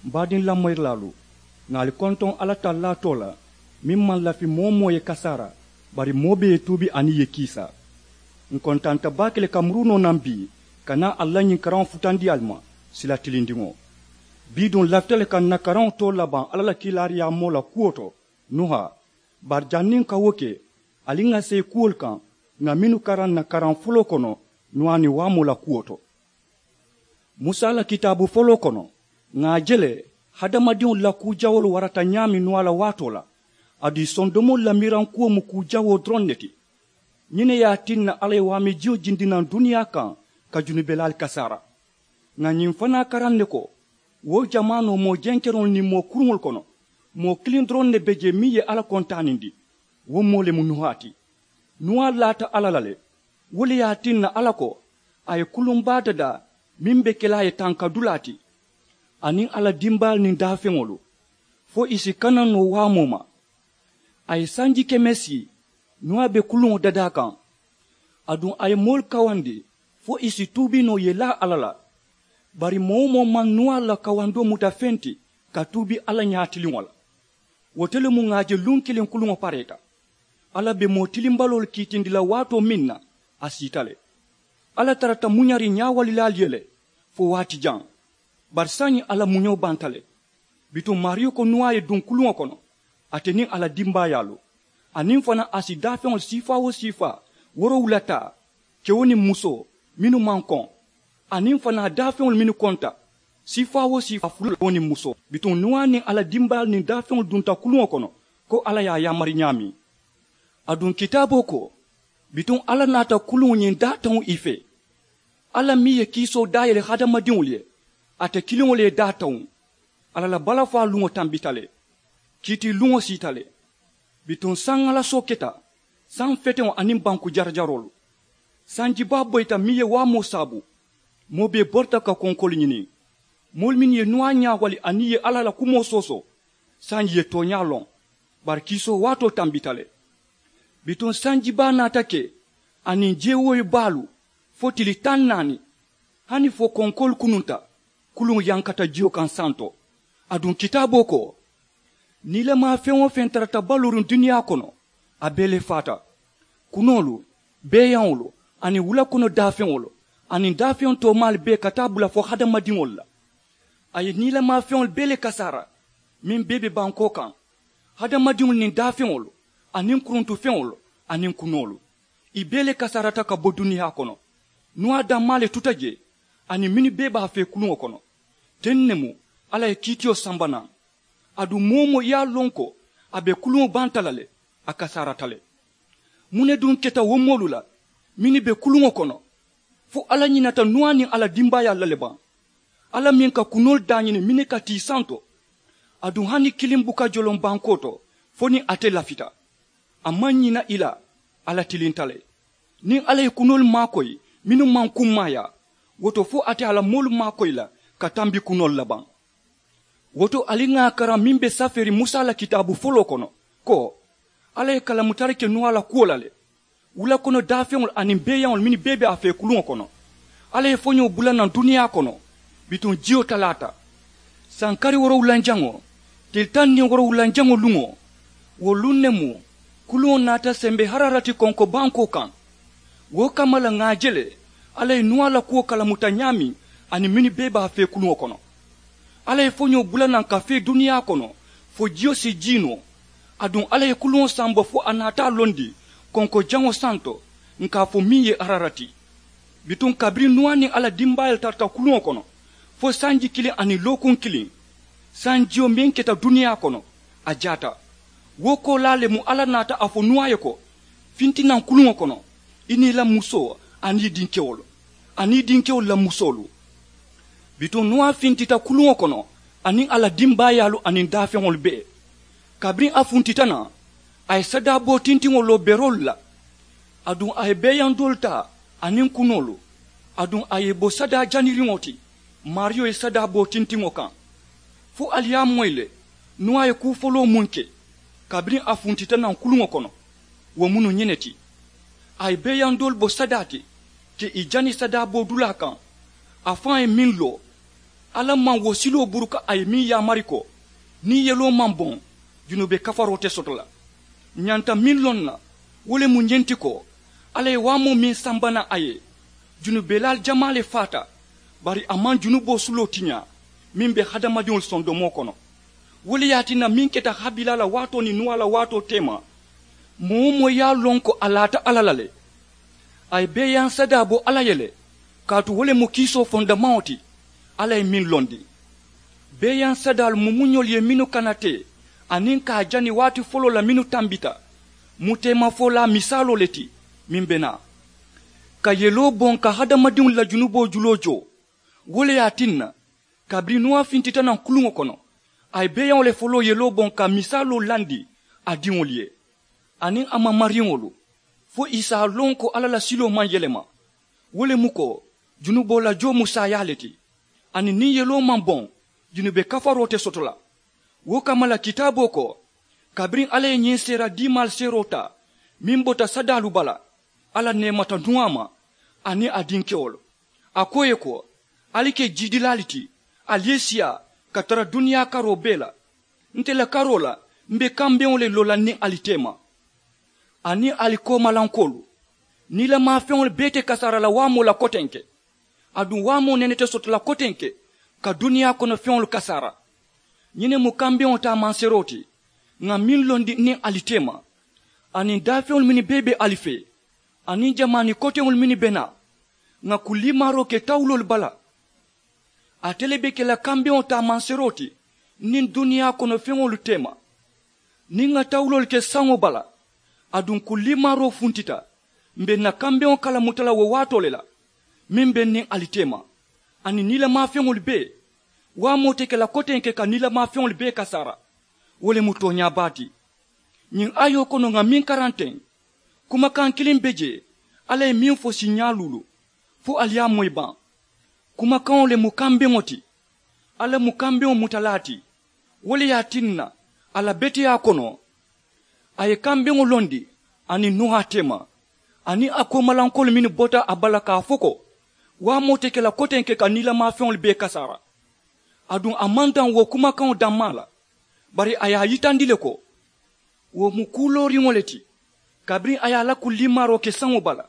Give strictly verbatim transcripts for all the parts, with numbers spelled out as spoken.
Baadiŋ lamoyirilaalu, ŋà ali kontoŋ alla tallaa too la meŋ maŋ lafi moo-wo-moo ye kasaara, bari moo bee ye tuubi aniŋ ì ye kiisa. Ǹ kontanta baake le ka muruu noo naŋ bii ka naa ali la ñiŋ karaŋo futandi ali ma, sila tilindiŋo. Bii duŋ ǹ lafita le ka ǹ na karaŋo too labaŋ alla la kiilaariyaamoo la kuwo to, nuha. Bari janniŋ ǹ ka wo ke, ali ŋà seyi kuwolu kaŋ ŋà mennu karaŋ ǹ na karaŋ foloo kono, nuha niŋ waamoo la kuwo to. Musa la kitaabu foloo kono, ŋà a je le hadamadiŋolu la kuu jawoolu warata ñaameŋ nuha la waatoo la. Aduŋ ì sondomoolu la miirankuwo mu kuu jawoo doroŋ ne ti. Ñiŋ ne ye a tinna alla ye waamijiŋo jindi naŋ duniyaa kaŋ ka junubelaalu kasaara. Ŋà ñiŋ fanaa karaŋ ne ko, wo jamaanoo moo jenkeroŋolu niŋ moo kuruŋolu kono, moo kiliŋ doroŋ ne be jee meŋ ye alla kontaanindi. Wo moo le mu nuha ti. Nuha laata alla la le. Wo le ye a tinna alla ko a ye kuluŋ baa dadaa meŋ be ke la a ye tankadulaa ti, aniŋ a la dimbaalu niŋ daafeŋolu, fo ì si kana noo waamoo ma. A ye sanji keme sii nuha be kuluŋo dadaa kaŋ. Aduŋ a ye moolu kawandi fo ì si tuubi noo ì ye laa alla la. Bari moo-wo-moo maŋ nuha la kawandoo muta feŋ ti ka tuubi alla ñaatiliŋo la. Wo to le mu ŋà a je luŋ kiliŋ kuluŋo pareeta. Alla be moo tilimbaloolu kiitindi la waatoo meŋ na, a siita le. Alla tarata muñariŋ ñaawalilaalu ye le fo waati jaŋ. Bari saayiŋ alla muñoo banta le. Bituŋ maariyo ko nuha ye duŋ kuluŋo kono, ate niŋ a la dimbaayaalu, aniŋ fanaa a si daafeŋolu siifaa-wo-siifaa woorowula taa, kewo niŋ musoo mennu maŋ koŋ, aniŋ fanaa daafeŋolu mennu konta, siifaa-wo-siifaa fula kewo niŋ musoo. Bituŋ nuha niŋ a la dimbaayaalu niŋ daafeŋolu dunta kuluŋo kono ko alla ye a yaamari ñaameŋ. Aduŋ kitaaboo ko, bituŋ alla naata kuluŋo ñiŋ daataŋo ì fee. Alla meŋ ye kiisoo daayele hadamadiŋolu ye, ate kiliŋo le ye daataŋo. Alla la balafaa luŋo tambita le. Kiitiiluŋo siita le. Bituŋ saŋ alasoo keta, saŋ feteŋo aniŋ banku jarajaroolu. Sanji baa boyita meŋ ye waamoo saabu. Moo bee borita ka konkoolu ñini. Moolu mennu ye nuha ñaawali aniŋ ì ye alla la kumoo soosoo, sanji ye tooñaa loŋ. Bari kiisoo waatoo tambita le. Bituŋ sanji baa naata ke, aniŋ jeewooyi baalu, fo tili taŋ naani, hani fo konkoolu kununta, kuluŋo yankata jiyo kaŋ santo. Aduŋ kitaaboo ko, niilamaa feŋ-wo-feŋ tarata baluuriŋ duniyaa kono, a bee le faata. Kunoolu, beeyaŋolu, aniŋ wula kono daafeŋolu, aniŋ daafeŋ toomaalu bee ka taa bula fo hadamadiŋolu la. A ye niilamaa feŋolu bee le kasaara, meŋ bee be bankoo kaŋ, hadamadiŋolu niŋ daafeŋolu, aniŋ kuruntufeŋolu, aniŋ kunoolu. Ì bee le kasaarata ka bo duniyaa kono. Nuwa dammaa le tuta jee, aniŋ mennu bee be a fee kuluŋo kono. Teŋ ne mu alla ye kiitiyo samba naŋ. Aduŋ moo-wo-moo ye a loŋ ko a be kuluŋo banta la le, a kasaarata le. Muŋ ne duŋ keta wo moolu la mennu be kuluŋo kono, fo alla ñinata nuwa niŋ a la dimbaayaalu la le baŋ? Alla meŋ ka kunoolu daañini mennu ka tii santo, aduŋ hani kiliŋ buka joloŋ bankoo to fo niŋ ate lafita. A maŋ ñina ì la. Alla tilinta le. Niŋ alla ye kunoolu maakoyi mennu maŋ kummaayaa, wo to fo ate a la moolu maakoyi la ka tambi kunoolu la baŋ. Wo to ali ŋà a karaŋ meŋ be safeeriŋ musa la kitaabu foloo kono, ko alla ye kalamutari ke nuwa la kuwo la le. Wula kono daafeŋolu aniŋ beeyaŋolu mennu bee be a fee kuluŋo kono, alla ye foñoo bula naŋ duniyaa kono. Bituŋ jiyo talaata, sankari woorowulanjaŋo, tili taŋ niŋ woorowulanjaŋo luŋo, wo luŋ ne mu kuluŋo naata sembe hararati konko bankoo kaŋ. Wo kamma la ŋà a je le alla ye nuwa la kuwo kalamuta ñaameŋ, aniŋ mennu bee be a fee kuluŋo kono. Alla ye foñoo bula naŋ ka fee duniyaa kono fo jiyo si jii noo. Aduŋ alla ye kuluŋo samba fo a naata a londi konko jaŋo santo, ǹ ka a fo meŋ ye hararati. Bituŋ kabiriŋ nuwa niŋ a la dimbaayaalu tarata kuluŋo kono fo sanji kiliŋ aniŋ lookuŋ kiliŋ, sanjiyo meŋ keta duniyaa kono, a jaata. Wo koolaa le mu alla naata a fo nuwa ye ko, finti naŋ kuluŋo kono, i niŋ i la musoo aniŋ i dinkewolu, aniŋ i dinkewolu la musoolu. Bituŋ nuwa fintita kuluŋo kono, aniŋ a la dimbaayaalu aniŋ daafeŋolu bee. Kabiriŋ a funtita naŋ, a ye sadaaboo tintiŋo loo beroolu la. Aduŋ a ye beeyaŋ doolu taa aniŋ kunoolu, aduŋ a ye i bo sadaa janiriŋo ti, maariyo ye sadaaboo tintiŋo kaŋ. Fo ali ye a moyi le, nuwa ye kuu foloo muŋ ke kabiriŋ a funtita naŋ kuluŋo kono, wo mu nuŋ ñiŋ ne ti. A ye beeyaŋ doolu bo sadaa ti, ka ì jani sadaaboo dulaa kaŋ. A faŋ ye meŋ loo, Alla maŋ wo siloo buruka a ye meŋ yaamari ko niŋ yeloo maŋ boŋ junube kafaroo te soto la. Ǹ ñanta meŋ loŋ na wo le mu ñiŋ ti ko alla ye waamoo meŋ samba naŋ a ye junubelaalu jamaa le faata. Bari a maŋ junuboo suloo tiñaa meŋ be hadamadiŋolu sondomoo kono. Wo le ye a tinna meŋ keta habilaa la waatoo niŋ nuwaa la waatoo teema moo wo moo ye a loŋ ko a laata alla la le. A ye beeyaŋ sadaa bo alla ye le kaatu wo le mu kiisoo fondamaŋo ti. Alla ye meŋ londi beeyaŋ sadaalu mu muñolu ye mennu kana te aniŋ ka a jani waati foloo la mennu tambita mu teemafolaa misaaloo le ti. Meŋ be naa ka yeloo boŋ ka hadamadiŋolu la junuboo juloo joo. Wo le ye a tinna kabiriŋ nuwa fintita naŋ kuluŋo kono a ye beeyaŋo le foloo yeloo boŋ ka misaaloo landi a diŋolu ye aniŋ a mamariŋolu fo ì si a loŋ ko alla la siloo maŋ yelema. Wo le mu ko junuboo la joo mu saayaa le ti. Aniŋ niŋ yeloo maŋ boŋ junube kafaroo te soto la. Wo kamma la kitaaboo ko kabiriŋ alla ye ñiŋ seera diimaalu seeroo taa meŋ bota sadaalu bala alla neemata nuwa ma aniŋ a dinkewolu. A ko ì ye ko ali ke jiidilaalu ti ali ye siyaa ka tara duniyaa karoo bee la. Nte la karoo la m̀ be kambeŋo le loo la niŋ ali teema aniŋ ali koomalankoolu. Niilamafeŋolu bee te kasaara la waamoo la kotenke aduŋ waamoo nene te soto la kotenke ka duniyaa kono feŋolu kasaara. Ñiŋ ne mu kambeŋo taamanseeroo ti ŋà meŋ londi niŋ ali teema aniŋ daafeŋolu mennu bee be ali fee aniŋ jamaani koteŋolu mennu be naa ŋà kulliimaaroo ke tawuloolu bala. Ate le be ke la kambeŋo taamanseeroo ti niŋ duniyaa kono feŋolu teema. Niŋ ŋà tawuloolu ke saŋo bala aduŋ kulliimaaroo funtita m̀ be ǹ na kambeŋo kalamuta la wo waatoo le la meŋ be niŋ ali teema aniŋ niilamafeŋolu bee. Waamoo te ke la kotenke ka niilamafeŋolu bee kasaara. Wo le mu tooñaa baa ti. Ñiŋ ayoo kono ŋà meŋ karanteŋ kumakaŋ kiliŋ be jee alla ye meŋ fo siiñaa luulu fo ali ye a moyi baŋ. Kumakaŋo le mu kambeŋo ti. Alla mu kambeŋo mutalaa ti. Wo le ye a tinna a la beteyaa kono a ye kambeŋo londi aniŋ nuhaa teema aniŋ a koomalankoolu mennu bota a bala ka a fo ko waamoo te ke la kotenke ka niilamafeŋolu bee kasaara. Aduŋ a maŋ daŋ wo kumakaŋo dammaa la bari a ye a yitandi le ko wo mu kuu looriŋo le ti. Kabiriŋ a ye a la kulliimaaroo ke saŋo bala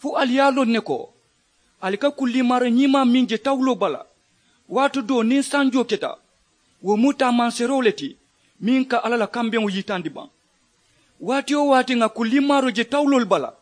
fo ali ye a loŋ ne ko ali ka kulliimaaroo ñiimaa meŋ je tawuloo bala waati doo niŋ sanjoo keta wo mu taamanseeroo le ti meŋ ka alla la kambeŋo yitandi baŋ. Waati-wo-waati ŋà kulliimaaroo je tawuloolu bala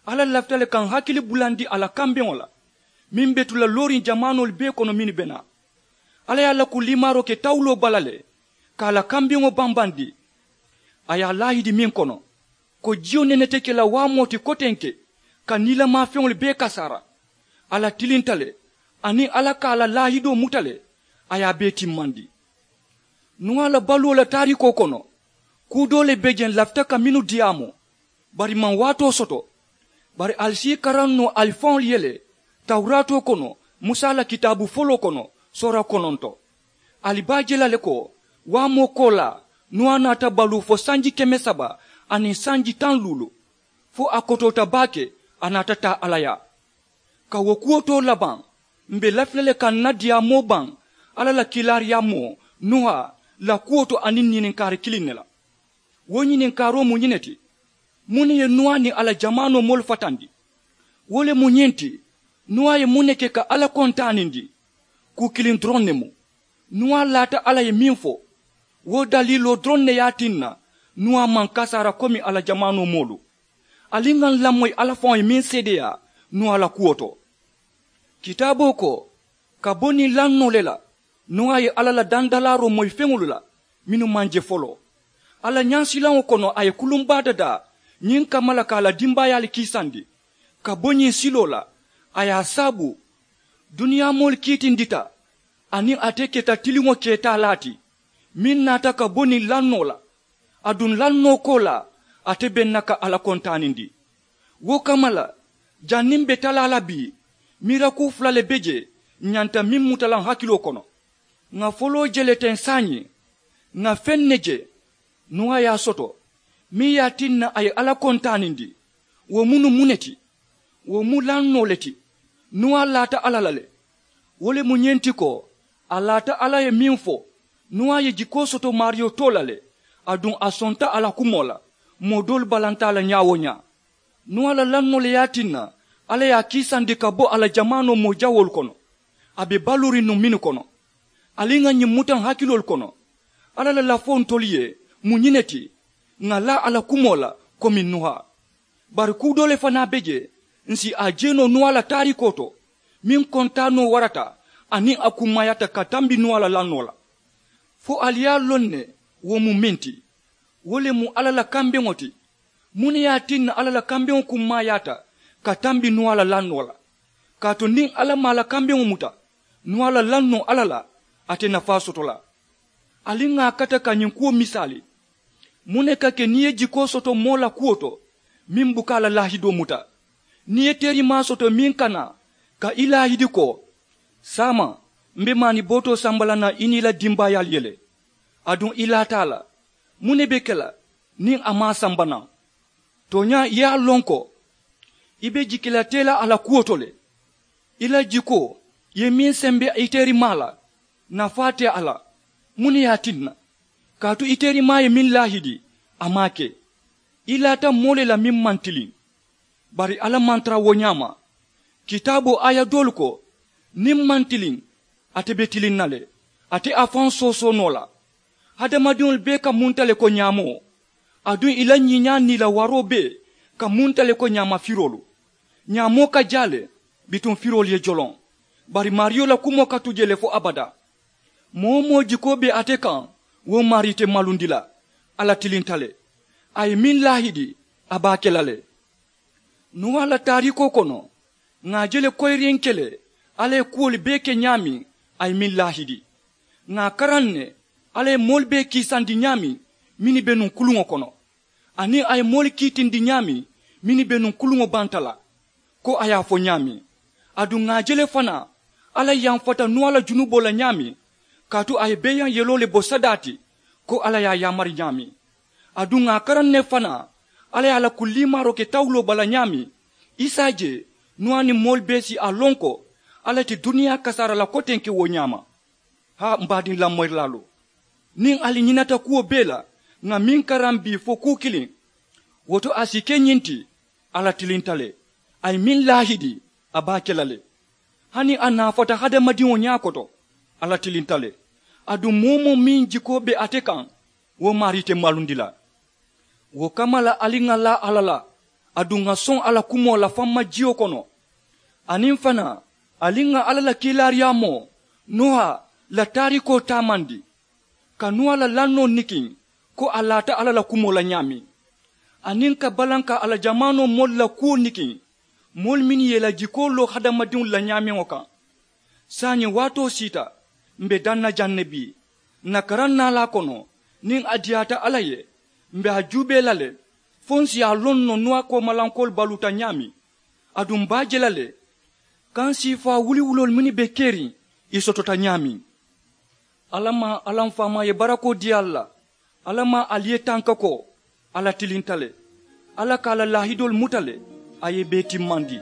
alla lafita le ka ǹ hakili bulandi a la kambeŋo la meŋ be tu la looriŋ jamaanoolu bee kono mennu be naa. Alla ye a la kulliimaaroo ke tawuloo bala le ka a la kambeŋo bambandi. A ye a laahidi meŋ kono ko jiyo nene te ke la waamoo ti kotenke ka niilamafeŋolu bee kasaara. A la tilinta le aniŋ alla ka a la laahidoo muta le a ye a bee timmandi. Nuwa la baluwo la taariikoo kono kuu doo le be jeŋ lafita ka mennu diyaamoo bari maŋ waatoo soto. Bari ali si i karaŋ noo ali faŋolu ye le tawuraatoo kono musa la kitaabu foloo kono soora kononto. Ali be a je la le ko waamoo koolaa nuwa naata baluu fo sanji keme saba aniŋ sanji taŋ luulu fo a kotoota baake a naata taa alla yaa. Ka wo kuwo too labaŋ m̀ be lafi la le ka ǹ na diyaamoo baŋ alla la kiilaariyaamoo nuha la kuwo to aniŋ ñininkaari kiliŋ ne la. Wo ñininkaaroo mu ñiŋ ne ti, muŋ ne ye nuha niŋ a la jamaanoo moolu fatandi? Wo le mu ñiŋ ti, nuha ye muŋ ne ke ka alla kontaanindi? Kuu kiliŋ doroŋ ne mu. Nuha laata alla ye meŋ fo wo daliiloo doroŋ ne ye a tinna nuha maŋ kasaara komi a la jamaanoo moolu. Ali ŋà ǹ lamoyi alla faŋo ye meŋ seedeyaa nuha la kuwo to. Kitaaboo ko ka bo niŋ lannoo le la nuha ye alla la dandalaaroo moyi feŋolu la mennu maŋ je foloo. Alla ñaasilaŋo kono a ye kulumbaa dadaa ñiŋ kamma la ka a la dimbaayaalu kiisandi ka bo ñiŋ siloo la. A ye a saabu duniyaa moolu kiitindita aniŋ ate keta tiliŋo keetaalaa ti meŋ naata ka bo niŋ lannoo la. Aduŋ lannoo koolaa ate be ǹ na ka alla kontaanindi. Wo kamma la janniŋ m̀ be talaa la bii miirakuu fula le be jee ǹ ñanta meŋ muta la ǹ hakiloo kono. Ŋà foloo je le teŋ saayiŋ ŋà feŋ ne je nuha ye a soto meŋ ye a tinna a ye alla kontaanindi. Wo munnu muŋ ne ti? Wo mu lannoo le ti. Nuha laata alla la le. Wo le mu ñiŋ ti ko A laata alla ye meŋ fo, nuwa ye jikoo soto maariyo too la le. Aduŋ a sonta a la kumoo la. Moo doolu balanta a la ñaa-wo-ñaa. Nuwa la lannoo le ye a tinna alla ye a kiisandi ka bo a la jamaanoo moo jawoolu kono. A be baluuriŋ nuŋ mennu kono, ali ŋà ñiŋ mutaŋ hakiloolu kono. Alla la lafoo ntolu ye mu ñiŋ ne ti, ŋà laa a la kumoo la komi nuha. Bari kuu doo le fanaa be jee, ǹ si a je noo nuwa la taariikoo to, meŋ kontaanoo warata aniŋ a kummaayaata ka tambi nuwa la lannoo la. Fo ali ye a loŋ ne wo mu meŋ ti? Wo le mu alla la kambeŋo ti. Muŋ ne ye a tinna alla la kambeŋo kummaayaata ka tambi nuwa la lannoo la? Kaatu niŋ alla maŋ a la kambeŋo muta nuwa la lannoo alla la, a te nafaa soto la. Ali ŋà a kata ka ñiŋ kuwo misaali. Muŋ ne ka ke niŋ i ye jikoo soto moo la kuwo to meŋ buka a la laahidoo muta? Niŋ i ye teerimaa soto meŋ ka naa ka i laahidi ko, saama, m̀ be maani bootoo samba la naŋ i niŋ i la dimbaayaalu ye le, aduŋ i laata a la, muŋ ne be ke la niŋ a maŋ a samba naŋ? Tooñaa i ye a loŋ ko i be jiki la tee la a la kuwo to le. I la jikoo i ye meŋ sembe i teerimaa la, nafaa te a la. Muŋ ne ye a tinna? Kaatu i teerimaa ye meŋ laahidi, a maŋ a ke. I laata moo le la meŋ maŋ tiliŋ. Bari alla maŋ tara wo ñaama. Kitaaboo aaya doolu ko, niŋ m̀ maŋ tiliŋ, ate be tiliŋ na le. Ate a faŋ soosoo noo la. Hadamadiŋolu bee ka munta le ko ñaamoo, aduŋ i la ñiiñaa niŋ i la waroo bee ka munta le ko ñaamafiroolu. Ñaamoo ka jaa le bituŋ firoolu ye joloŋ. Bari maariyo la kumoo ka tu jee le fo abadaa. Moo-wo-moo jikoo be ate kaŋ, wo maarii te malundi la. Alla tilinta le. A ye meŋ laahidi, a be a ke la le. Nuwa la taariikoo kono, ŋà a je le koyiriŋ ke le alla ye kuwolu bee ke ñaameŋ, a ye meŋ laahidi. Ŋà a karaŋ ne alla ye moolu bee kiisandi ñaameŋ mennu be nuŋ kuluŋo kono, aniŋ a ye moolu kiitindi ñaameŋ mennu be nuŋ kuluŋo banta la, ko a ye a fo ñaameŋ. Aduŋ ŋà a je le fanaa alla yamfata nuwa la junuboo la ñaameŋ, kaatu a ye beeyaŋ yeloo le bo sadaa ti, ko alla ye a yaamari ñaameŋ. Aduŋ ŋà a karaŋ ne fanaa alla ye a la kuliimaaroo ke tawuloo bala ñaameŋ, i si a je nuwa niŋ moolu bee si a loŋ ko alla ti duniyaa kasaara la kotenke wo ñaama. Haa m̀ baadiŋ lamoyirilaalu, niŋ ali ñinata kuwo bee la ŋà meŋ karaŋ bii fo kuu kiliŋ, wo to a si ke ñiŋ ti, alla tilinta le. A ye meŋ laahidi, a be a ke la le. Hani a naafata hadamadiŋo ñaa koto, alla tilinta le. Aduŋ moo-wo-moo meŋ jikoo be ate kaŋ, wo maarii te malundi la. Wo kamma la ali ŋà laa alla la, aduŋ ŋà soŋ a la kumoo la famma jiyo kono. Aniŋ fanaa ali ŋà alla la kiilaariyaamoo nuha la taariikoo taamandi, ka nuwa la lannoo nikiŋ ko a laata alla la kumoo la ñaameŋ, aniŋ ka balanka a la jamaanoo moolu la kuwo nikiŋ, moolu mennu ye i la jikoo loo hadamadiŋolu la ñaameŋo kaŋ. Saayiŋ waatoo siita, m̀ be daŋ na jaŋ ne bii. Ǹ na karaŋ naalaa kono, niŋ a diyaata alla ye, m̀ be a juubee la le, fo ǹ si a loŋ noo nuwa koomalankoolu baluuta ñaameŋ. Aduŋ m̀ be a je la le kaŋ siifaa wuliwuloolu mennu be keriŋ, ì sotota ñaameŋ. Alla maŋ alla m faamaa ye barakoo dii ali la. Alla maŋ ali ye tanka ko, alla tilinta le. Alla ka a la laahidoolu muta le, a ye i bee timmandi.